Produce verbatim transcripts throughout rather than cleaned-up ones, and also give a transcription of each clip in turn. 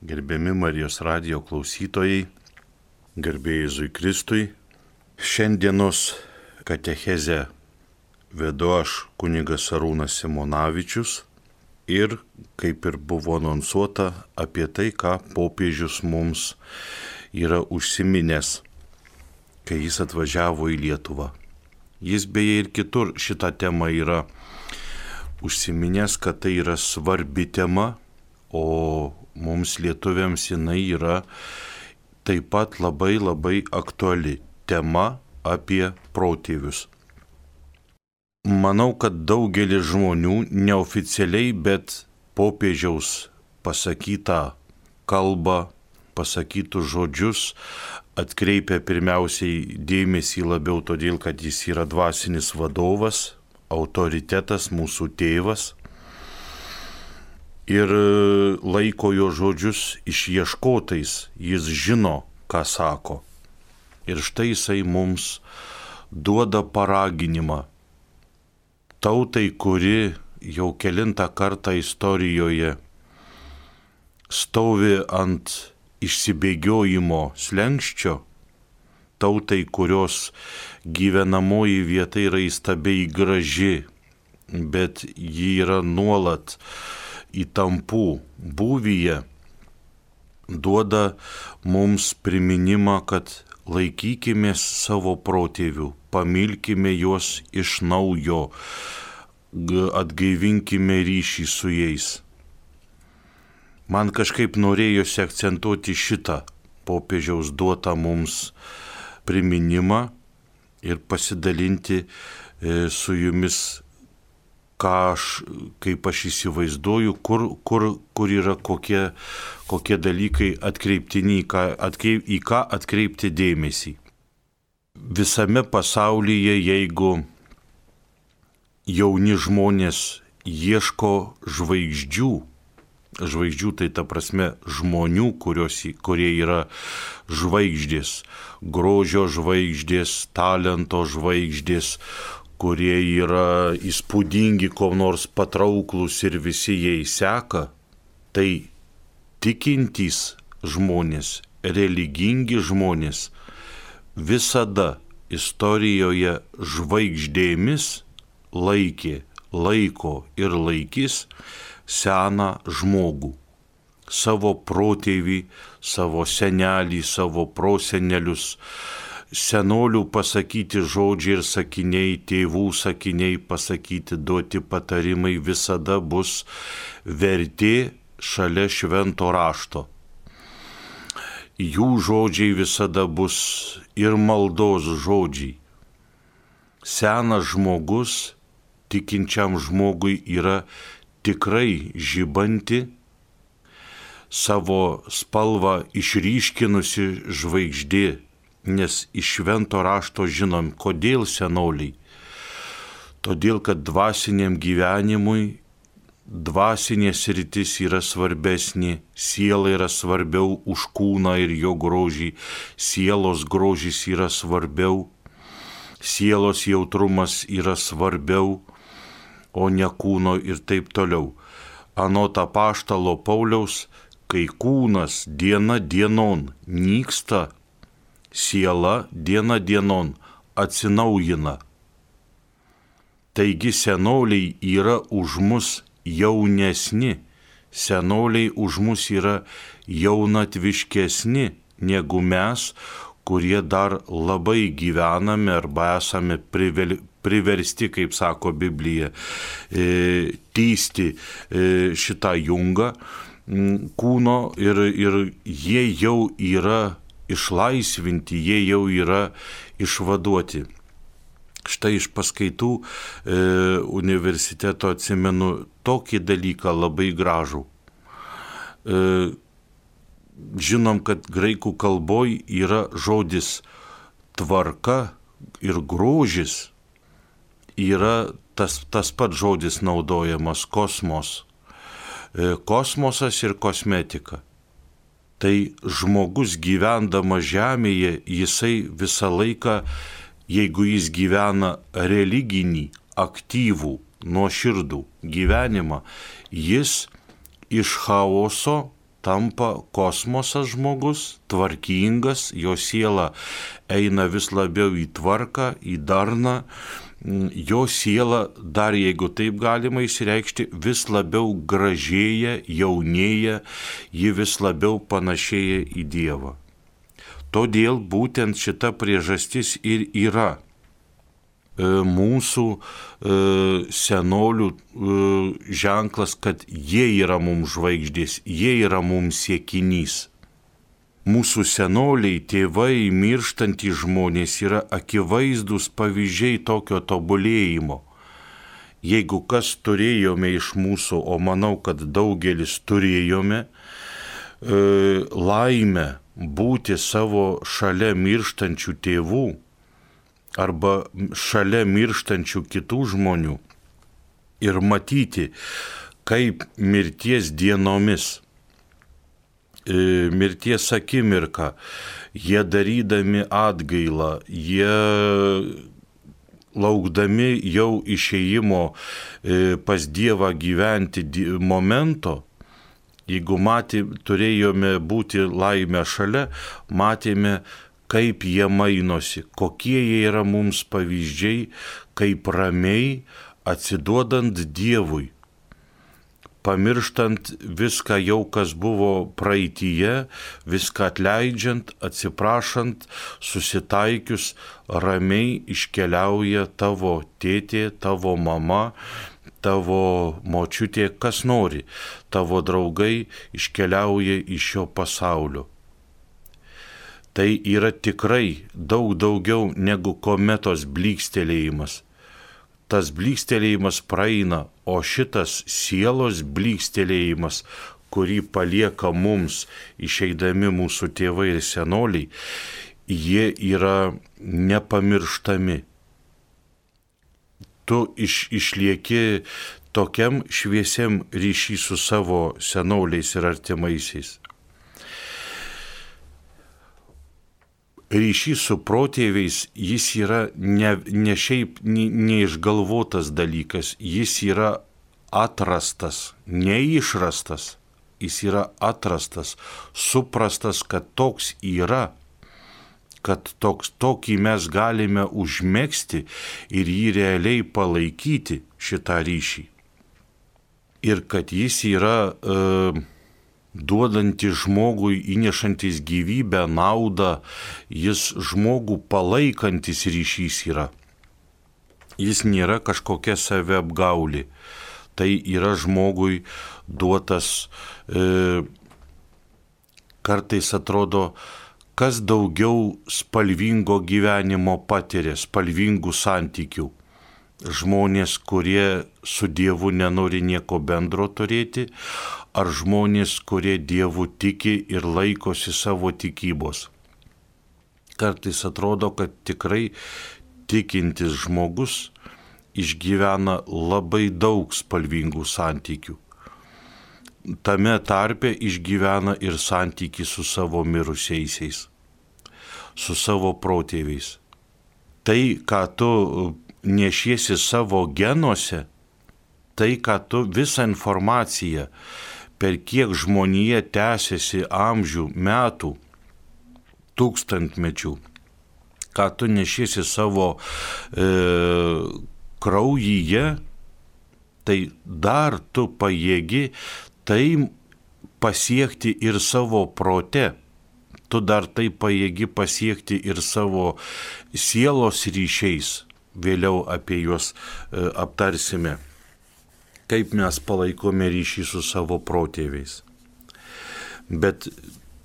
Gerbiami Marijos radijo klausytojai, garbė Jėzui Kristui. Šiandienos katechezę vedu aš, kunigas Arūnas Simonavičius, ir, kaip ir buvo anonsuota, apie tai, ką popiežius mums yra užsiminęs, kai jis atvažiavo į Lietuvą. Jis beje ir kitur šitą temą yra užsiminęs, kad tai yra svarbi tema, o mums lietuviams jinai yra taip pat labai labai aktuali tema apie protėvius. Manau, kad daugelis žmonių neoficialiai, bet popiežiaus pasakytą kalbą, pasakytus žodžius atkreipia pirmiausiai dėmesį labiau todėl, kad jis yra dvasinis vadovas, autoritetas, mūsų tėvas, ir laiko jo žodžius išieškotais, jis žino, ką sako. Ir štai jisai mums duoda paraginimą tautai, kuri jau kelintą kartą istorijoje stovi ant išsibėgiojimo slenksčio, tautai, kurios gyvenamoji vieta yra įstabiai graži, bet ji yra nuolat įtampų būvyje, duoda mums priminimą, kad laikykimės savo protėvių, pamilkime juos iš naujo, atgaivinkime ryšį su jais. Man kažkaip norėjosi akcentuoti šitą popiežiaus duotą mums priminimą ir pasidalinti su jumis, ką aš, kaip aš įsivaizduoju, kur, kur, kur yra kokie, kokie dalykai atkreiptini, į ką, atkreip, į ką atkreipti dėmesį. Visame pasaulyje, jeigu jauni žmonės ieško žvaigždžių, žvaigždžių tai ta prasme žmonių, kurios, kurie yra žvaigždės, grožio žvaigždės, talento žvaigždės, kurie yra įspūdingi, ko nors patrauklus ir visi jais seka, tai tikintys žmonės, religingi žmonės visada istorijoje žvaigždėmis laikė, laiko ir laikys seną žmogų, savo protėvį, savo senelį, savo prosenelius. Senolių pasakyti žodžiai ir sakiniai, tėvų sakiniai pasakyti, duoti patarimai visada bus vertė šalia švento rašto. Jų žodžiai visada bus ir maldos žodžiai. Senas žmogus tikinčiam žmogui yra tikrai žibanti, savo spalvą išryškinusi žvaigždė. Nes iš švento rašto žinom, kodėl senoliai. Todėl, kad dvasiniam gyvenimui dvasinė sritis yra svarbesnė, siela yra svarbiau už kūną ir jo grožį, sielos grožis yra svarbiau, sielos jautrumas yra svarbiau, o ne kūno ir taip toliau. Anot apaštalo Pauliaus, kai kūnas diena dienon nyksta, siela diena dienon atsinaujina. Taigi senoliai yra už mus jaunesni, senoliai už mus yra jaunatviškesni negu mes, kurie dar labai gyvename arba esame privel, priversti, kaip sako Biblija, e, tysti e, šitą jungą kūno ir, ir jie jau yra išlaisvinti, jie jau yra išvaduoti. Štai iš paskaitų e, universiteto atsimenu tokį dalyką labai gražų. E, žinom, kad graikų kalboj yra žodis tvarka ir grožis, yra tas, tas pats žodis naudojamas kosmos. E, kosmosas ir kosmetika. Tai žmogus gyvendamas žemėje, jisai visą laiką, jeigu jis gyvena religinį, aktyvų, nuoširdų gyvenimą, jis iš chaoso tampa kosmosas žmogus, tvarkingas, jo siela eina vis labiau į tvarką, į darną, jo siela, dar jeigu taip galima išreikšti, vis labiau gražėja, jaunėja, ji vis labiau panašėja į Dievą. Todėl būtent šita priežastis ir yra mūsų senolių ženklas, kad jie yra mums žvaigždės, jie yra mums siekinys. Mūsų senoliai, tėvai, mirštantys žmonės yra akivaizdus pavyzdžiai tokio tobulėjimo. Jeigu kas turėjome iš mūsų, o manau, kad daugelis turėjome, laimę būti savo šalia mirštančių tėvų arba šalia mirštančių kitų žmonių ir matyti, kaip mirties dienomis, mirties akimirką, jie darydami atgailą, jie laukdami jau išėjimo pas Dievą gyventi momento, jeigu matė, turėjome būti laimę šalia, matėme, kaip jie mainosi, kokie jie yra mums pavyzdžiai, kaip ramiai atsiduodant Dievui, pamirštant viską jau, kas buvo praeityje, viską atleidžiant, atsiprašant, susitaikius, ramiai iškeliauja tavo tėtė, tavo mama, tavo močiutė, kas nori, tavo draugai iškeliauja iš šio pasaulio. Tai yra tikrai daug daugiau negu kometos blykstelėjimas. Tas blykstelėjimas praeina, o šitas sielos blykstelėjimas, kurį palieka mums išeidami mūsų tėvai ir senoliai, jie yra nepamirštami. Tu iš, išlieki tokiam šviesiam ryšy su savo senoliais ir artimaisiais. Ryšys su protėviais, jis yra ne, ne šiaip neišgalvotas dalykas, jis yra atrastas, neišrastas, jis yra atrastas, suprastas, kad toks yra, kad toks, tokį mes galime užmegzti ir jį realiai palaikyti, šitą ryšį. Ir kad jis yra uh, duodantis žmogui, įnešantis gyvybę, naudą, jis žmogų palaikantis ryšys yra. Jis nėra kažkokia saviapgaulė. Tai yra žmogui duotas, e, kartais atrodo, kas daugiau spalvingo gyvenimo patiria, spalvingų santykių. Žmonės, kurie su Dievu nenori nieko bendro turėti, ar žmonės, kurie Dievu tiki ir laikosi savo tikybos. Kartais atrodo, kad tikrai tikintis žmogus išgyvena labai daug spalvingų santykių. Tame tarpe išgyvena ir santykį su savo mirusiaisiais, su savo protėviais. Tai, ką tu nešiesi savo genuose, tai, ką tu visą informaciją, per kiek žmonija tęsiasi amžių, metų, tūkstantmečių, ką tu nešiesi savo e, kraujyje, tai dar tu pajėgi tai pasiekti ir savo prote. Tu dar tai pajėgi pasiekti ir savo sielos ryšiais. Vėliau apie juos e, aptarsime, kaip mes palaikome ryšį su savo protėviais. Bet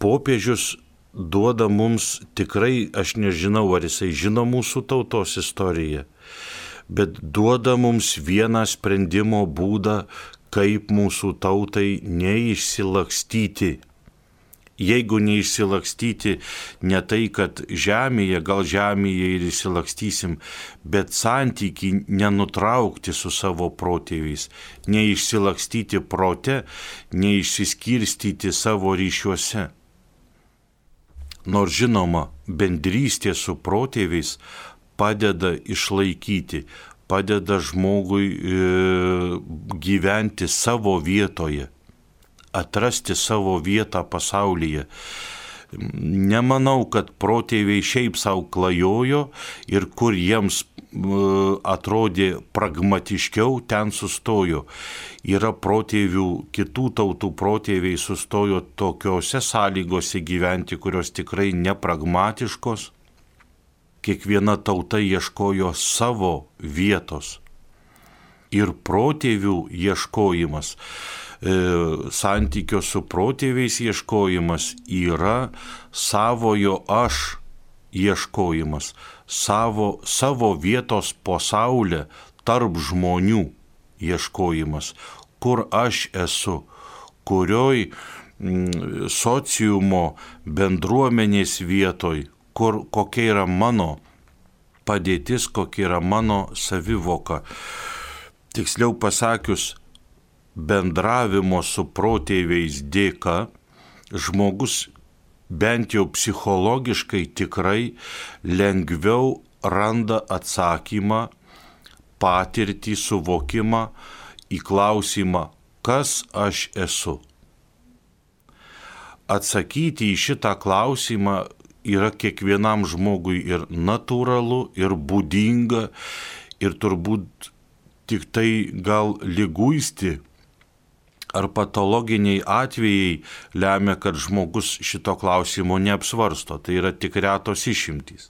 popiežius duoda mums tikrai, aš nežinau, ar jisai žino mūsų tautos istoriją, bet duoda mums vieną sprendimo būdą, kaip mūsų tautai neišsilakstyti. Jeigu neišsilakstyti, ne tai, kad žemėje, gal žemėje ir išsilakstysim, bet santykį nenutraukti su savo protėviais, neišsilakstyti prote, neišsiskirstyti savo ryšiuose. Nors žinoma, bendrystė su protėviais padeda išlaikyti, padeda žmogui e, gyventi savo vietoje. atrasti savo vietą pasaulyje. Nemanau, kad protėviai šiaip savo klajojo ir kur jiems atrodė pragmatiškiau, ten sustojo. Yra protėvių, kitų tautų protėviai sustojo tokiose sąlygose gyventi, kurios tikrai nepragmatiškos. Kiekviena tauta ieškojo savo vietos. Ir protėvių ieškojimas, e, santykio su protėviais ieškojimas yra savojo aš ieškojimas, savo, savo vietos pasaulyje tarp žmonių ieškojimas, kur aš esu, kurioj mm, sociumo bendruomenės vietoj, kur kokia yra mano padėtis, kokia yra mano savivoka. Tiksliau pasakius, bendravimo su protėviais dėka žmogus bent jau psichologiškai tikrai lengviau randa atsakymą, patirtį, suvokimą į klausimą, kas aš esu. Atsakyti į šitą klausimą yra kiekvienam žmogui ir natūralu, ir būdinga, ir turbūt tik tai gal liguisti ar patologiniai atvejai lemia, kad žmogus šito klausimo neapsvarsto. Tai yra tik retos išimtys.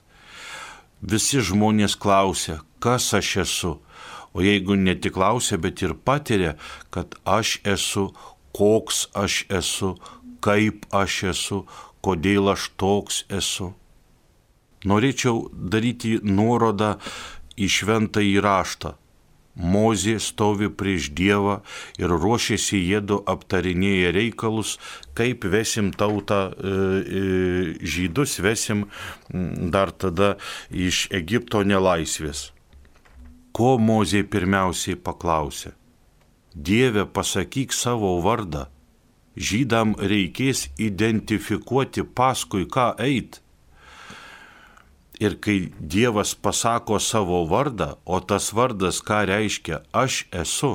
Visi žmonės klausia, kas aš esu. O jeigu ne tik klausia, bet ir patiria, kad aš esu, koks aš esu, kaip aš esu, kodėl aš toks esu. Norėčiau daryti nuorodą į šventąjį raštą. Mozė stovi prieš Dievą ir ruošiasi jiedu aptarinėję reikalus, kaip vesim tautą e, žydus, vesim dar tada iš Egipto nelaisvės. Ko Mozė pirmiausiai paklausė? Dieve, pasakyk savo vardą. Žydam reikės identifikuoti, paskui ką eit. Ir kai Dievas pasako savo vardą, o tas vardas ką reiškia, aš esu,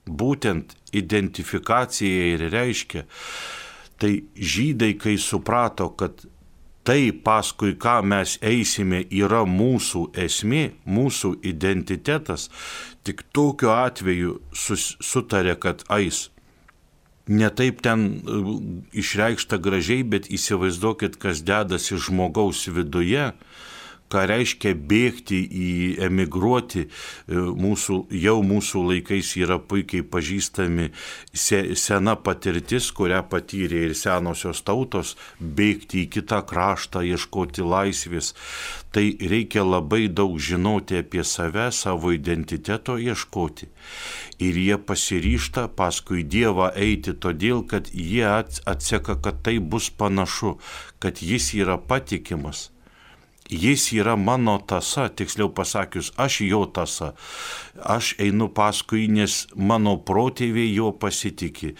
būtent identifikacija ir reiškia, tai žydai, kai suprato, kad tai, paskui ką mes eisime, yra mūsų esmė, mūsų identitetas, tik tokiu atveju sus, sutarė, kad eis. Ne taip ten išreikšta gražiai, bet įsivaizduokit, kas dedasi žmogaus viduje, ką reiškia bėgti į emigruoti. Mūsų, jau mūsų laikais yra puikiai pažįstami se, sena patirtis, kurią patyrė ir senosios tautos, bėgti į kitą kraštą, ieškoti laisvės. Tai reikia labai daug žinoti apie save, savo identiteto ieškoti. Ir jie pasiryžta paskui Dievą eiti todėl, kad jie atseka, kad tai bus panašu, kad jis yra patikimas. Jis yra mano tąsa, tiksliau pasakius, aš jo tąsa. Aš einu paskui, nes mano protėviai jo pasitikė.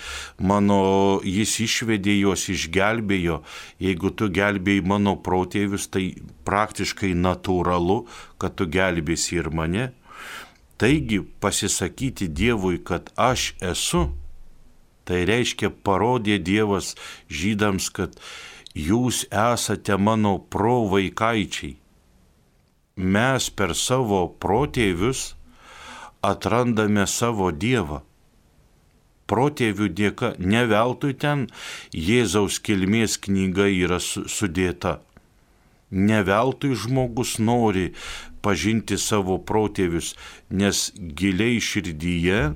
Mano, jis išvedė juos, išgelbėjo. Jeigu tu gelbėjai mano protėvius, tai praktiškai natūralu, kad tu gelbėsi ir mane. Taigi pasisakyti Dievui, kad aš esu, tai reiškia parodė Dievas žydams, kad jūs esate mano provaikaičiai. Mes per savo protėvius atrandame savo Dievą. Protėvių dėka, ne veltui ten Jėzaus kilmės knyga yra sudėta. Ne veltui žmogus nori pažinti savo protėvius, nes giliai širdyje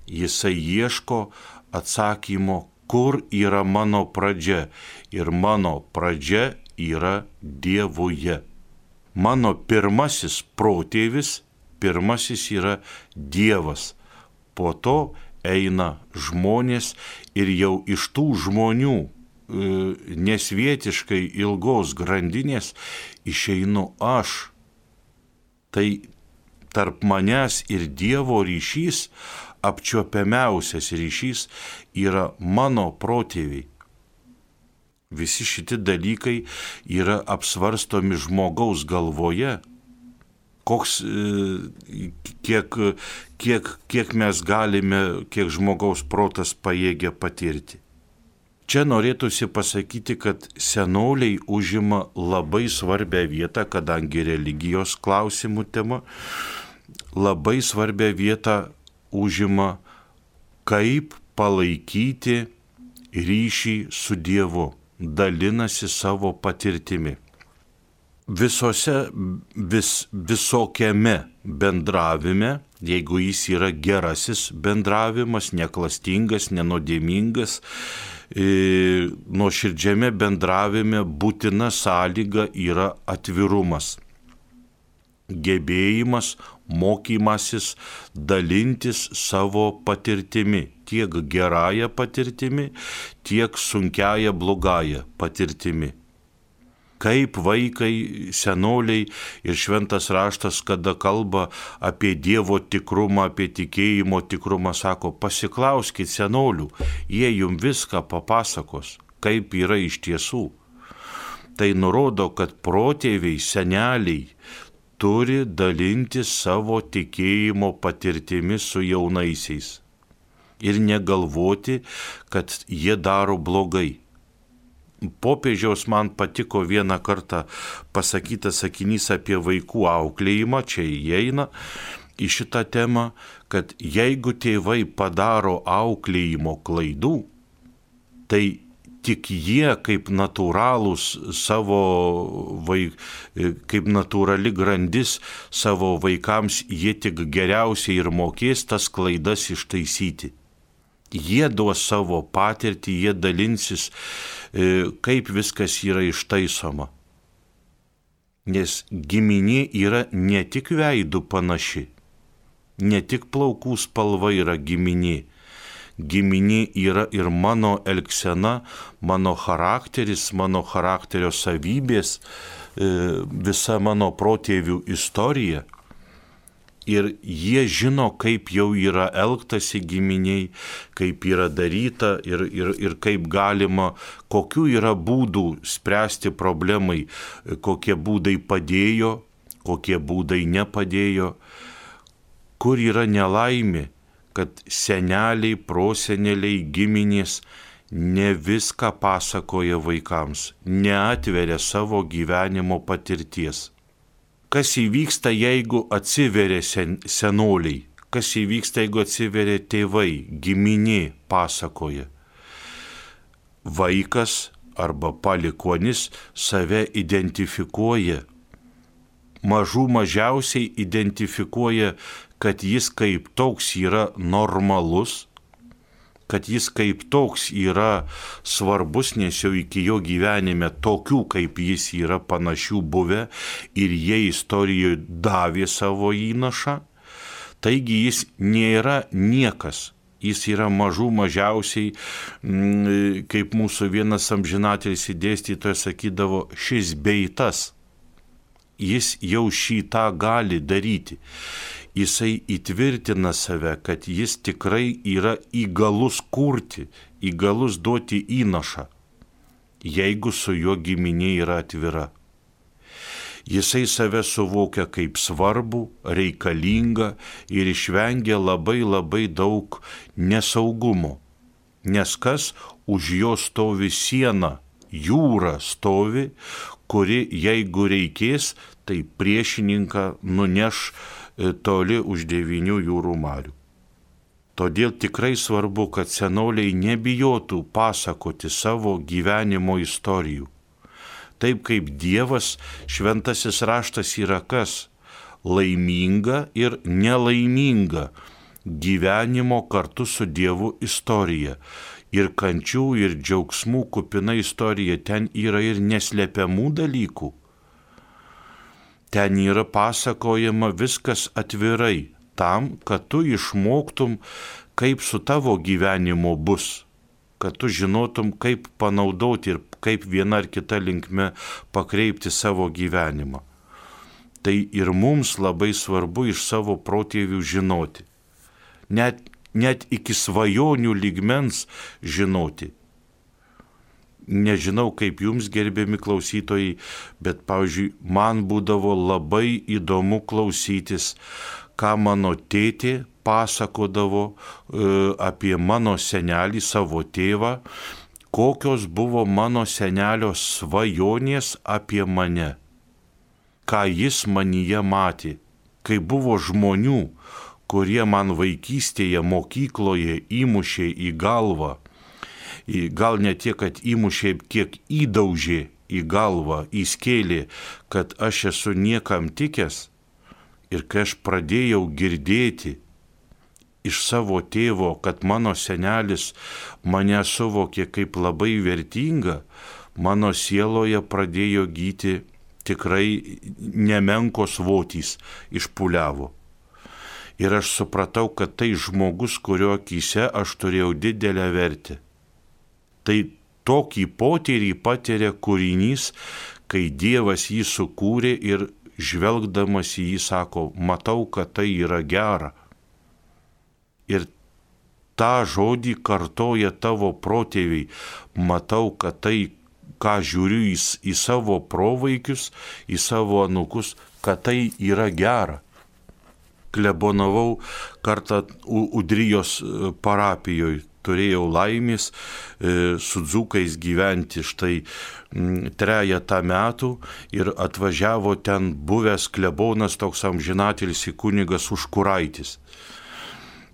jisai ieško atsakymo, kur yra mano pradžia. Ir mano pradžia yra Dievuje. Mano pirmasis protėvis, pirmasis yra Dievas. Po to eina žmonės ir jau iš tų žmonių nesvietiškai ilgos grandinės išeinu aš. Tai tarp manęs ir Dievo ryšys, apčiuopiamiausias ryšys yra mano protėviai. Visi šitie dalykai yra apsvarstomi žmogaus galvoje. koks, kiek, kiek, kiek mes galime, kiek žmogaus protas pajėgia patirti. Čia norėtųsi pasakyti, kad senoliai užima labai svarbią vietą, kadangi religijos klausimų tema, labai svarbią vietą užima, kaip palaikyti ryšį su Dievu, dalinasi savo patirtimi. Visose, vis, visokiame bendravime, jeigu jis yra gerasis bendravimas, neklastingas, nenodėmingas, e, nuoširdžiame bendravime būtina sąlyga yra atvirumas, gebėjimas, mokymasis, dalintis savo patirtimi, tiek gerąją patirtimi, tiek sunkiąją blogąją patirtimi. Kaip vaikai, senoliai ir šventas raštas, kada kalba apie Dievo tikrumą, apie tikėjimo tikrumą, sako, pasiklauskit senolių, jie jums viską papasakos, kaip yra iš tiesų. Tai nurodo, kad protėviai, seneliai turi dalinti savo tikėjimo patirtimi su jaunaisiais ir negalvoti, kad jie daro blogai. Popiežiaus man patiko vieną kartą pasakytas sakinys apie vaikų auklėjimą, čia įeina į šitą temą, kad jeigu tėvai padaro auklėjimo klaidų, tai tik jie kaip natūralūs savo vaik, kaip natūrali grandis savo vaikams, jie tik geriausiai ir mokės tas klaidas ištaisyti. Jie duos savo patirtį, jie dalinsis, kaip viskas yra ištaisoma. Nes giminė yra ne tik veidų panaši, ne tik plaukų spalva yra giminė. Giminė yra ir mano elgsena, mano charakteris, mano charakterio savybės, visa mano protėvių istorija. Ir jie žino, kaip jau yra elgtasi giminiai, kaip yra daryta ir, ir, ir kaip galima, kokių yra būdų spręsti problemai, kokie būdai padėjo, kokie būdai nepadėjo, kur yra nelaimė, kad seneliai, proseneliai, giminės ne viską pasakoja vaikams, neatveria savo gyvenimo patirties. Kas įvyksta, jeigu atsiveria sen, senoliai? Kas įvyksta, jeigu atsiveria tėvai, giminė pasakoja? Vaikas arba palikuonis save identifikuoja. Mažų mažiausiai identifikuoja, kad jis kaip toks yra normalus, kad jis kaip toks yra svarbus, nes jau iki jo gyvenime tokių kaip jis yra panašių buvę ir jie istorijoje davė savo įnašą. Taigi jis nėra niekas, jis yra mažų mažiausiai, kaip mūsų vienas amžinatelis dėstytojas sakydavo, šis bei tas. Jis jau šitą gali daryti. Jisai įtvirtina save, kad jis tikrai yra įgalus kurti, įgalus duoti įnašą, jeigu su juo giminė yra atvira. Jisai save suvokia kaip svarbų, reikalingą ir išvengia labai labai daug nesaugumo, nes kas už jo stovi siena, jūra stovi, kuri jeigu reikės, tai priešininką nuneš toli už devynių jūrų marių. Todėl tikrai svarbu, kad senoliai nebijotų pasakoti savo gyvenimo istorijų. Taip kaip Dievas, šventasis raštas yra kas? Laiminga ir nelaiminga gyvenimo kartu su Dievu istorija. Ir kančių, ir džiaugsmų kupina istorija. Ten yra ir neslepiamų dalykų. Ten yra pasakojama viskas atvirai, tam, kad tu išmoktum, kaip su tavo gyvenimu bus, kad tu žinotum, kaip panaudoti ir kaip viena ar kita linkme pakreipti savo gyvenimą. Tai ir mums labai svarbu iš savo protėvių žinoti, net, net iki svajonių lygmens žinoti. Nežinau, kaip jums, gerbiami klausytojai, bet, pavyzdžiui, man būdavo labai įdomu klausytis, ką mano tėtė pasakodavo e, apie mano senelį, savo tėvą, kokios buvo mano senelio svajonės apie mane, ką jis manyje matė, kai buvo žmonių, kurie man vaikystėje mokykloje įmušė į galvą, gal ne tiek, kad įmušė, kiek įdaužė į galvą, įskėlė, kad aš esu niekam tikęs. Ir kai aš pradėjau girdėti iš savo tėvo, kad mano senelis mane suvokė kaip labai vertingą, mano sieloje pradėjo gyti tikrai nemenkos votys išpuliavo. Ir aš supratau, kad tai žmogus, kurio akyse aš turėjau didelę vertę. Tai tokį potyrį patiria kūrinys, kai Dievas jį sukūrė ir žvelgdamas į jį sako, matau, kad tai yra gera. Ir tą žodį kartoja tavo protėviai, matau, kad tai, ką žiūriu į, į savo provaikius, į savo anūkus, kad tai yra gera. Klebonavau kartą Udrijos parapijoje. Turėjau laimės e, su dzūkais gyventi štai m, trejetą metų ir atvažiavo ten buvęs klebonas toks amžinatilsį kunigas Užkuraitis.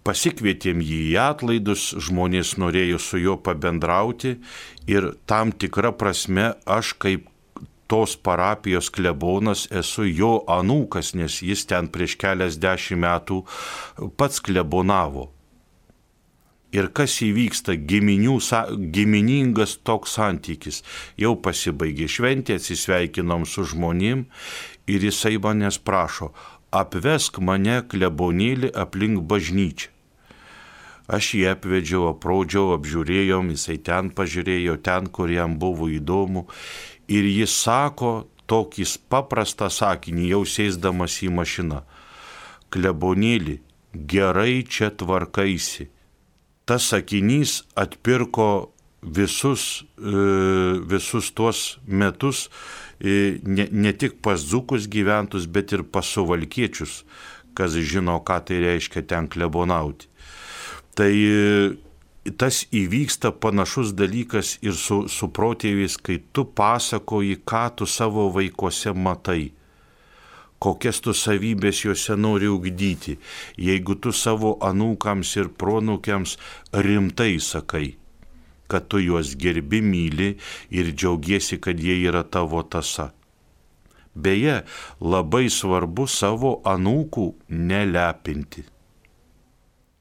Pasikvietėm jį į atlaidus, žmonės norėjo su juo pabendrauti ir tam tikra prasme aš kaip tos parapijos klebonas esu jo anūkas, nes jis ten prieš keliasdešimt metų pats klebonavo. Ir kas įvyksta, giminių, giminingas toks santykis. Jau pasibaigė šventė, atsisveikinom su žmonėm ir jisai manęs prašo, apvesk mane klebonėlį aplink bažnyčią. Aš jį apvedžiau, apraudžiau, apžiūrėjom, jisai ten pažiūrėjo, ten, kur jam buvo įdomu. Ir jis sako tokį paprastą sakinį, jau sėsdamas į mašiną. Klebonėlį, gerai čia tvarkaisi. Tas sakinys atpirko visus, visus tuos metus, ne, ne tik pas dzūkus gyventus, bet ir pas suvalkiečius, kas žino, ką tai reiškia ten klebonauti. Tai tas įvyksta panašus dalykas ir su, su protėviais, kai tu pasakoji, ką tu savo vaikuose matai. Kokias tu savybės juose nori ugdyti, jeigu tu savo anūkams ir pronūkiams rimtai sakai, kad tu juos gerbi, myli ir džiaugiesi, kad jie yra tavo tąsa. Beje, labai svarbu savo anūkų nelepinti,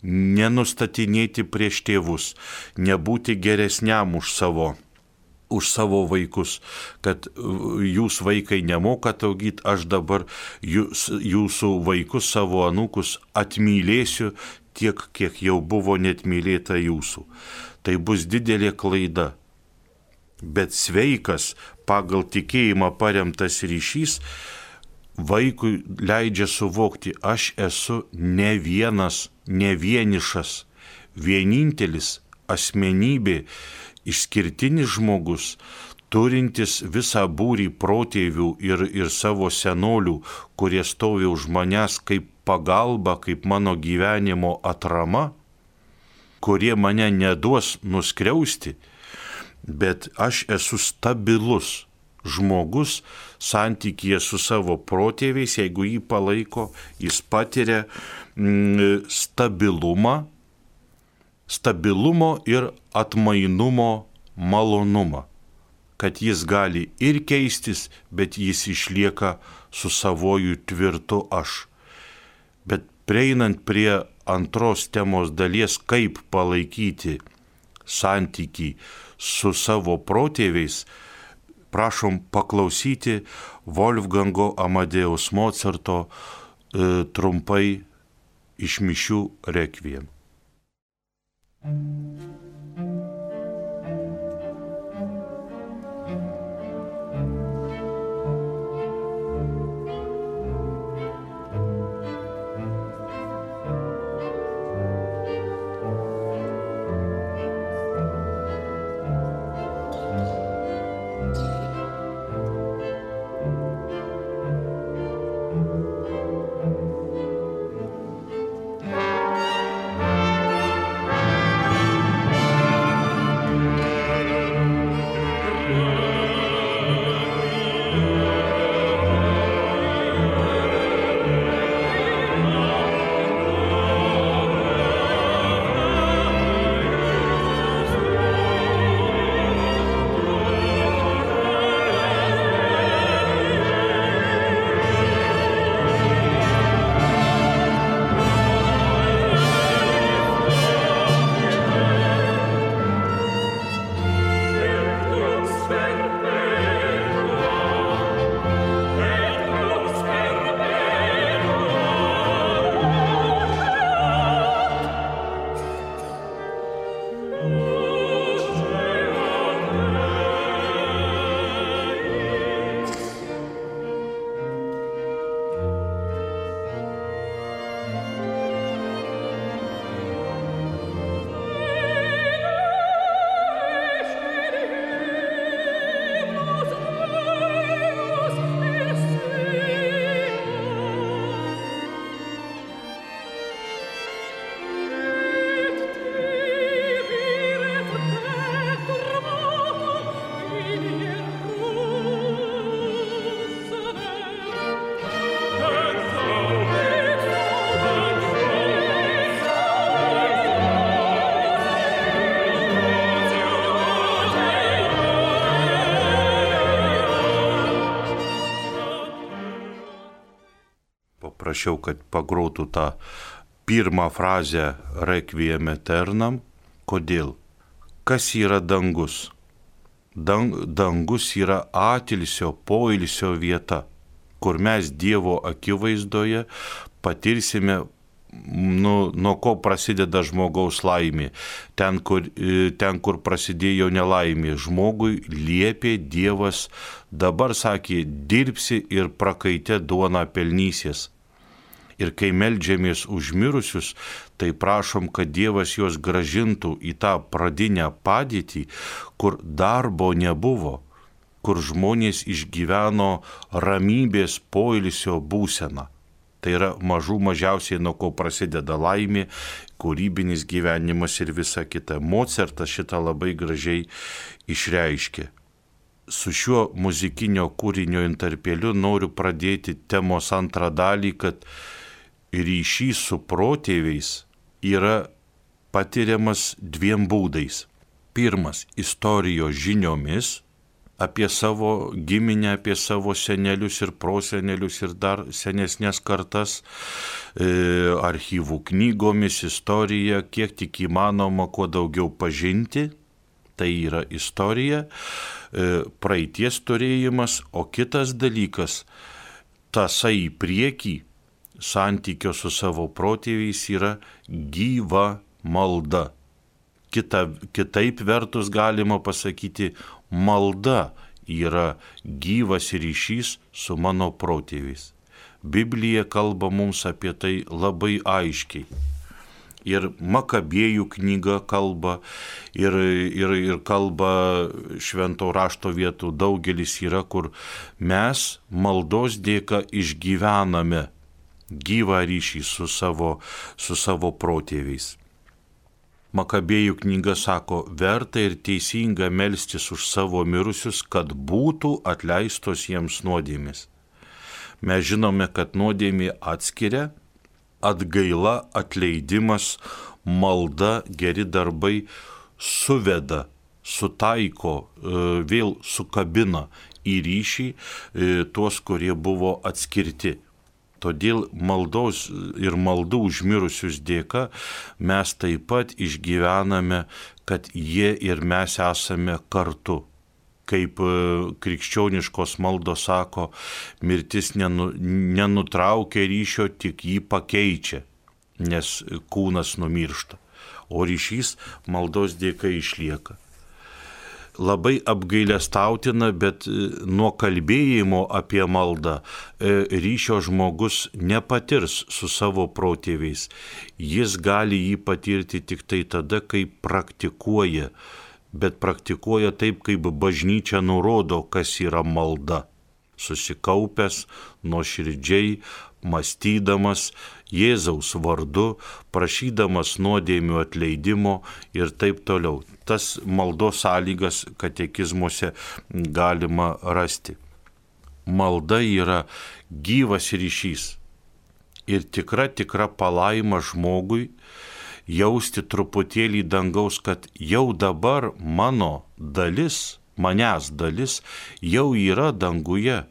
nenustatinėti prieš tėvus, nebūti geresniam už savo už savo vaikus, kad jūs vaikai nemokat augyti, aš dabar jūs, jūsų vaikus, savo anūkus atmylėsiu tiek, kiek jau buvo net mylėta jūsų. Tai bus didelė klaida. Bet sveikas, pagal tikėjimą paremtas ryšys, vaikui leidžia suvokti, aš esu ne vienas, ne vienišas, vienintelis asmenybė, išskirtinis žmogus, turintis visą būrį protėvių ir, ir savo senolių, kurie stovi už manęs kaip pagalba, kaip mano gyvenimo atrama, kurie mane neduos nuskriausti, bet aš esu stabilus žmogus santykyje su savo protėviais, jeigu jį palaiko, jis patiria mm, stabilumą, stabilumo ir atmainumo malonumą, kad jis gali ir keistis, bet jis išlieka su savoju tvirtu aš. Bet prieinant prie antros temos dalies, kaip palaikyti santykį su savo protėviais, prašom paklausyti Wolfgango Amadeus Mozarto e, trumpai iš mišių rekviem. prašiau, kad pagrotų tą pirmą frazę Requiem Aeternam. Kodėl? Kas yra dangus? Dang, dangus yra atilsio, poilsio vieta, kur mes Dievo akivaizdoje patirsime, nu, nuo ko prasideda žmogaus laimė. Ten kur, ten, kur prasidėjo nelaimė, žmogui liepė Dievas, dabar sakė, dirbsi ir prakaite duoną pelnysies. Ir kai meldžiamės už mirusius, tai prašom, kad Dievas juos gražintų į tą pradinę padėtį, kur darbo nebuvo, kur žmonės išgyveno ramybės poilsio būseną. Tai yra mažų mažiausiai, nuo ko prasideda laimė, kūrybinis gyvenimas ir visa kita. Mocartas šitą labai gražiai išreiškė. Su šiuo muzikinio kūrinio interpeliu noriu pradėti temos antrą dalį, kad ryšys su protėviais yra patiriamas dviem būdais. Pirmas - istorijos žiniomis apie savo giminę, apie savo senelius ir prosenelius ir dar senesnės kartas, e, archyvų knygomis, istorija, kiek tik įmanoma, kuo daugiau pažinti, tai yra istorija, e, praeities turėjimas, o kitas dalykas, tąsa į priekį, santykio su savo protėviais yra gyva malda. Kita, kitaip vertus galima pasakyti, malda yra gyvas ryšys su mano protėviais. Biblija kalba mums apie tai labai aiškiai. Ir Makabėjų knyga kalba, ir, ir, ir kalba švento rašto vietų daugelis yra, kur mes maldos dėka išgyvename gyvą ryšį su savo, su savo protėviais. Makabėjų knyga sako, verta ir teisinga melstis už savo mirusius, kad būtų atleistos jiems nuodėmės. Mes žinome, kad nuodėmė atskiria, atgaila, atleidimas, malda, geri darbai suveda, sutaiko, vėl sukabina į ryšį tuos, kurie buvo atskirti. Todėl maldos ir maldų užmirusius dėka mes taip pat išgyvename, kad jie ir mes esame kartu. Kaip krikščioniškos maldos sako, mirtis nenu, nenutraukia ryšio, tik jį pakeičia, nes kūnas numiršta, o ryšys maldos dėka išlieka. Labai apgailestautina, bet nuo kalbėjimo apie maldą ryšio žmogus nepatirs su savo protėviais. Jis gali jį patirti tik tai tada, kai praktikuoja, bet praktikuoja taip, kaip bažnyčia nurodo, kas yra malda. Susikaupęs, nuoširdžiai, mąstydamas Jėzaus vardu, prašydamas nuodėmių atleidimo ir taip toliau. Tas maldos sąlygas katekizmuose galima rasti. Malda yra gyvas ryšys ir tikra, tikra palaima žmogui jausti truputėlį dangaus, kad jau dabar mano dalis, manęs dalis jau yra danguje.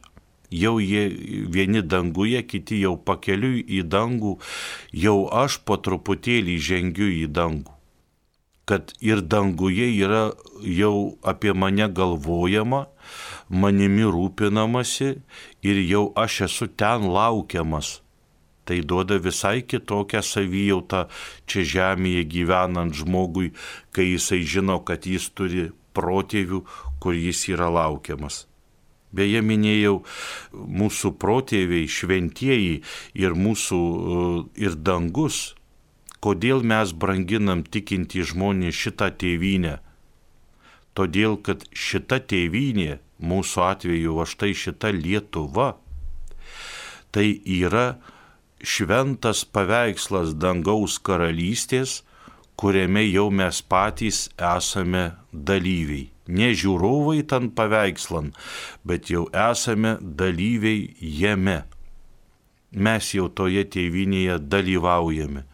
Jau jie vieni danguje, kiti jau pakeliui į dangų, jau aš po truputėlį žengiu į dangų. Kad ir danguje yra jau apie mane galvojama, manimi rūpinamasi ir jau aš esu ten laukiamas. Tai duoda visai kitokią savijautą čia žemėje gyvenant žmogui, kai jisai žino, kad jis turi protėvių, kur jis yra laukiamas. Beje, minėjau, mūsų protėviai, šventieji ir mūsų ir dangus, kodėl mes branginam tikintį žmonį šitą tėvynę. Todėl, kad šita tėvynė, mūsų atveju, va štai šita Lietuva, tai yra šventas paveikslas dangaus karalystės, kuriame jau mes patys esame dalyviai. Ne žiūrovai ten paveikslan, bet jau esame dalyviai jame. Mes jau toje tėvynėje dalyvaujame.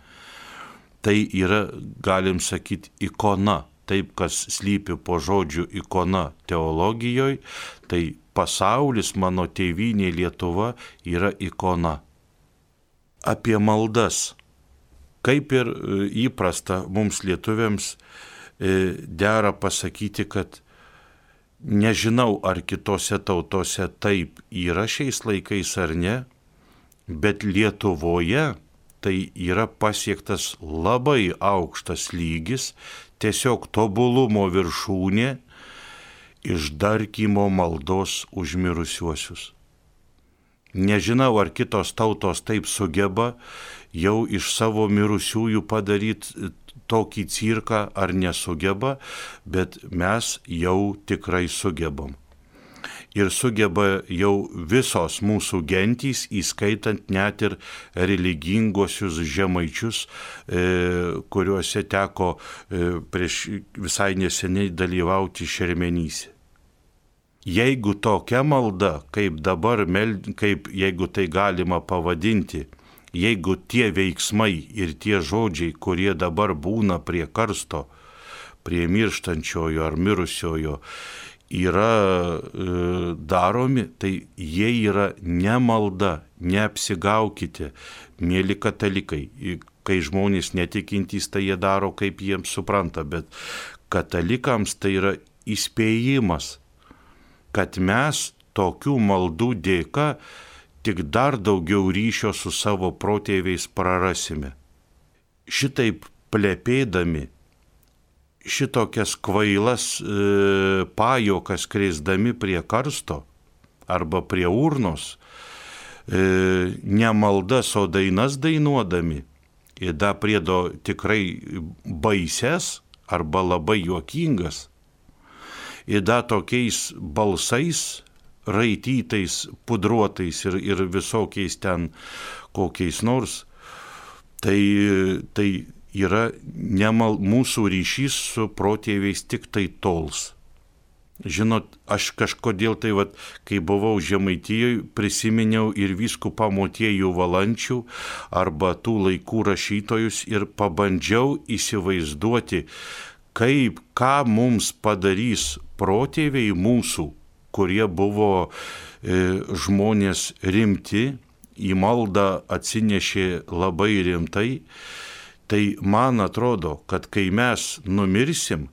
Tai yra, galim sakyti, ikona. Taip, kas slypi po žodžiu ikona teologijoje, tai pasaulis, mano tėvynė Lietuva yra ikona. apie maldas. Kaip ir įprasta mums lietuviams dera pasakyti, kad nežinau, ar kitose tautose taip yra šiais laikais ar ne, bet Lietuvoje tai yra pasiektas labai aukštas lygis, tiesiog tobulumo viršūnė, išdarkymo maldos už mirusiuosius. Nežinau, ar kitos tautos taip sugeba jau iš savo mirusiųjų padaryti tokį cirką, ar nesugeba, bet mes jau tikrai sugebam. Ir sugeba jau visos mūsų gentys, įskaitant net ir religingosius žemaičius, e, kuriuose teko e, prieš visai neseniai dalyvauti Šermenyse. Jeigu tokia malda, kaip dabar, kaip jeigu tai galima pavadinti, jeigu tie veiksmai ir tie žodžiai, kurie dabar būna prie karsto, prie mirštančiojo ar mirusiojo, yra e, daromi, tai jie yra ne malda, neapsigaukite, mėly katalikai. Kai žmonės netikintys, tai jie daro, kaip jiems supranta, bet katalikams tai yra įspėjimas, kad mes tokių maldų dėka tik dar daugiau ryšio su savo protėviais prarasime. Šitaip plepėdami, šitokias kvailas e, pajokas kreisdami prie karsto arba prie urnos, e, ne maldas, o dainas dainuodami, ir da priedo tikrai baises arba labai juokingas, ir da tokiais balsais, raitytais, pudruotais ir, ir visokiais ten kokiais nors, tai, tai yra nemal, mūsų ryšys su protėviais tik tai tols. Žinot, aš kažkodėl tai, vat, kai buvau Žemaitijoje, prisiminiau ir vyskupą Motiejų Valančių arba tų laikų rašytojus ir pabandžiau įsivaizduoti, kaip, ką mums padarys protėviai mūsų, kurie buvo e, žmonės rimti, į maldą atsinešė labai rimtai, tai man atrodo, kad kai mes numirsim,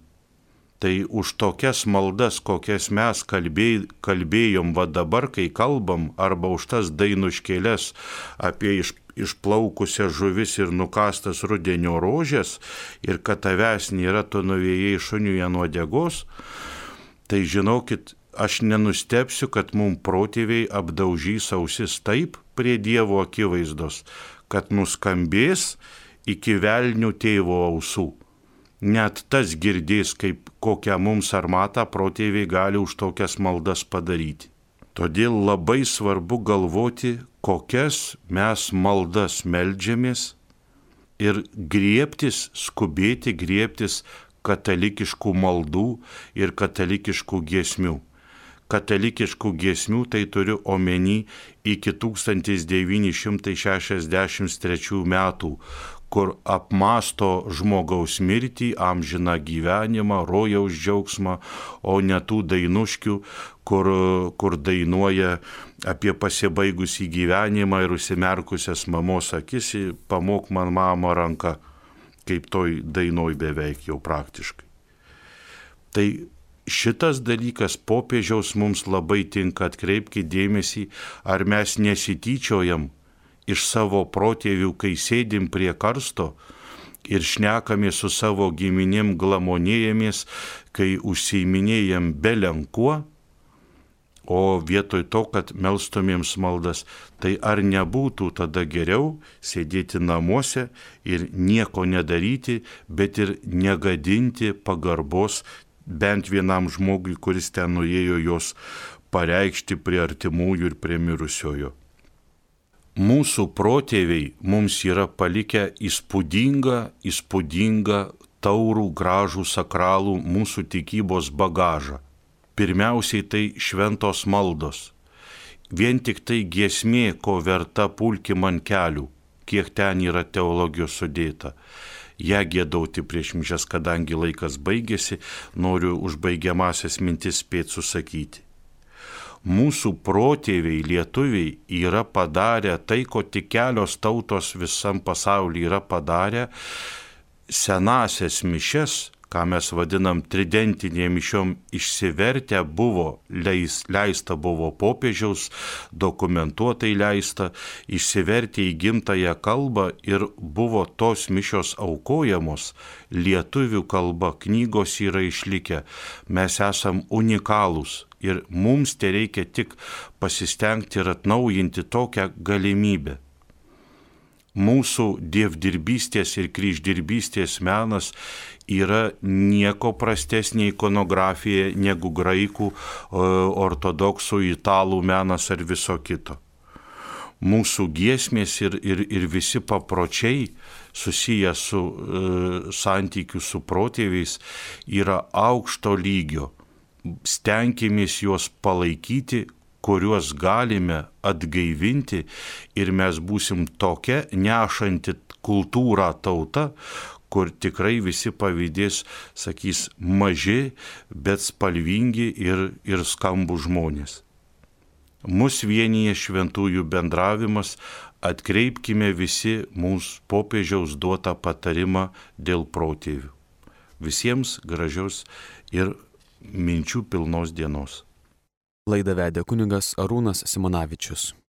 tai už tokias maldas, kokias mes kalbėj, kalbėjom va dabar, kai kalbam, arba už tas dainuškėles apie iš, išplaukusias žuvis ir nukastas rudenio rožės, ir kad tavęs nėra, tu nuvėjai šuniuje nuo degos, tai žinokit, aš nenustepsiu, kad mum protėviai apdaužys ausis taip prie Dievo akivaizdos, kad nuskambės iki velnių tėvo ausų. Net tas girdės, kaip kokią mums armatą protėviai gali už tokias maldas padaryti. Todėl labai svarbu galvoti, kokias mes maldas meldžiamės ir griebtis, skubėti griebtis katalikiškų maldų ir katalikiškų giesmių. Katalikiškų giesmių tai turiu omeny iki tūkstantis devyni šimtai šešiasdešimt trečių metų, kur apmąsto žmogaus mirtį, amžiną gyvenimą, rojaus džiaugsmą, o ne tų dainuškių, kur, kur dainuoja apie pasibaigusį gyvenimą ir užsimerkusias mamos akis, pamok man mama ranka, kaip toj dainoj beveik jau praktiškai. Tai šitas dalykas popiežiaus mums labai tinka, atkreipkite dėmesį, ar mes nesityčiojam iš savo protėvių, kai sėdim prie karsto ir šnekamės su savo giminėm, glamonėjamės, kai užsiiminėjam belenkuo, o vietoj to, kad melstumėms maldas, tai ar nebūtų tada geriau sėdėti namuose ir nieko nedaryti, bet ir negadinti pagarbos bent vienam žmogui, kuris ten nuėjo jos pareikšti prie artimųjų ir prie mirusiojo. Mūsų protėviai mums yra palikę įspūdingą, įspūdingą, taurų, gražų, sakralų mūsų tikybos bagažą. Pirmiausiai tai šventos maldos. Vien tik tai giesmė, ko verta pulki man kelių, kiek ten yra teologijos sudėta. Ja giedauti prieš mišias, kadangi laikas baigėsi, noriu užbaigiamasias mintis spėt susakyti. Mūsų protėviai lietuviai yra padarę tai, ko tik kelios tautos visam pasaulyje yra padarę, senasias mišes, ką mes vadinam tridentinėm mišiom, išsivertę buvo, leis, leista buvo popiežiaus, dokumentuotai leista, išsivertę į gimtąją kalbą ir buvo tos mišios aukojamos lietuvių kalba, knygos yra išlikę, mes esam unikalūs ir mums tai reikia tik pasistengti ir atnaujinti tokią galimybę. Mūsų dievdirbystės ir kryždirbystės menas yra nieko prastesnė ikonografija negu graikų, ortodoksų, italų menas ar viso kito. Mūsų giesmės ir, ir, ir visi papročiai susiję su e, santykiu su protėviais yra aukšto lygio. Stenkimės juos palaikyti, kuriuos galime atgaivinti ir mes būsim tokia nešanti kultūrą tauta, kur tikrai visi pavydės, sakys, maži, bet spalvingi ir, ir skambų žmonės. Mus vienyje šventųjų bendravimas, atkreipkime visi mūsų popiežiaus duotą patarimą dėl protėvių. Visiems gražios ir minčių pilnos dienos. Laidą vedė kunigas Arūnas Simonavičius.